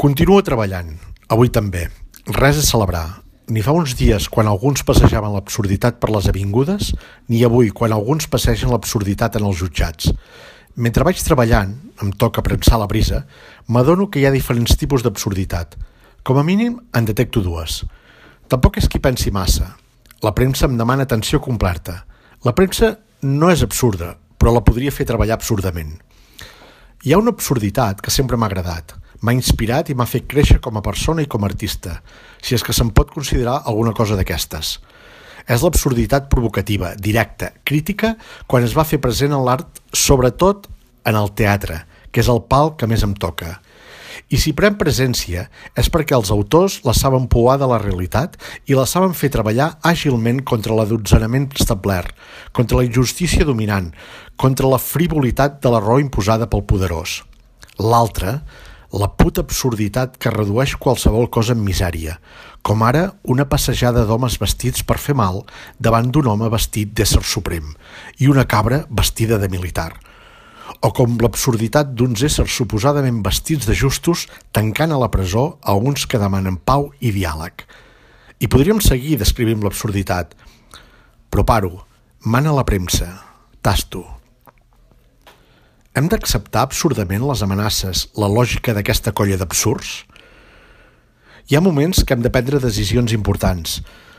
Continuo treballant, avui també. Res a celebrar. Ni fa uns dies quan alguns passejaven l'absurditat per les avingudes, ni avui quan alguns passegen l'absurditat en els jutjats. Mentre vaig treballant, em toca premsar la brisa, m'adono que hi ha diferents tipus d'absurditat. Com a mínim, en detecto dues. Tampoc és qui pensi massa. La premsa em demana atenció completa. La premsa no és absurda, però la podria fer treballar absurdament. Hi ha una absurditat que sempre m'ha agradat. M'ha inspirat i m'ha fet créixer com a persona i com a artista, si és que se'n pot considerar alguna cosa d'aquestes. És l'absurditat provocativa, directa, crítica, quan es va fer present en l'art, sobretot en el teatre, que és el pal que més em toca. I si pren presència és perquè els autors la saben pouar de la realitat i la saben fer treballar àgilment contra l'adotzenament establert, contra la injustícia dominant, contra la frivolitat de la raó imposada pel poderós. L'altra, la puta absurditat que redueix qualsevol cosa en misèria, com ara una passejada d'homes vestits per fer mal davant d'un home vestit d'ésser suprem i una cabra vestida de militar. O com l'absurditat d'uns éssers suposadament vestits de justos tancant a la presó a uns que demanen pau i diàleg. I podríem seguir descrivint l'absurditat, però paro, mana la premsa, tasto. Hem d'acceptar absurdament les amenaces, la lògica d'aquesta colla d'absurds? Hi ha moments que hem de prendre decisions importants.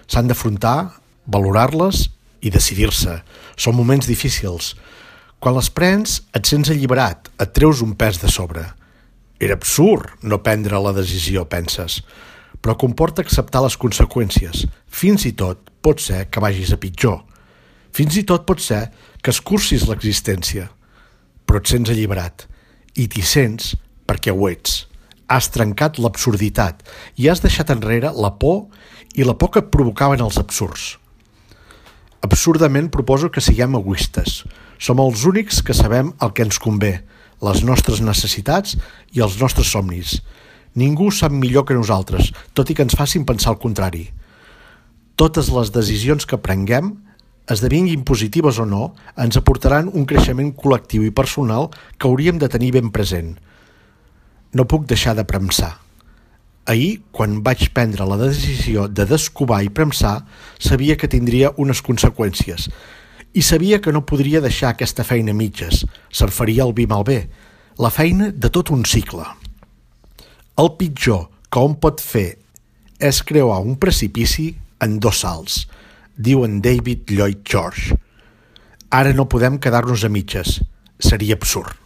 S'han d'afrontar, valorar-les i decidir-se. Són moments difícils. Quan les prens, et sents alliberat, et treus un pes de sobre. Era absurd no prendre la decisió, penses, però comporta acceptar les conseqüències. Fins i tot pot ser que vagis a pitjor. Fins i tot pot ser que escurcis l'existència. Però et sents alliberat, i t'hi sents perquè ho ets. Has trencat l'absurditat i has deixat enrere la por i la por que et provocaven els absurds. Absurdament proposo que siguem egoistes. Som els únics que sabem el que ens convé, les nostres necessitats i els nostres somnis. Ningú sap millor que nosaltres, tot i que ens facin pensar el contrari. Totes les decisions que prenguem, esdevinguin positives o no, ens aportaran un creixement col·lectiu i personal que hauríem de tenir ben present. No puc deixar de premsar. Ahir, quan vaig prendre la decisió de descovar i premsar, sabia que tindria unes conseqüències i sabia que no podria deixar aquesta feina a mitges, se'n faria el vi malbé, la feina de tot un cicle. El pitjor que hom pot fer és creuar un precipici en 2 salts, diu en David Lloyd George. Ara no podem quedar-nos a mitges. Seria absurd.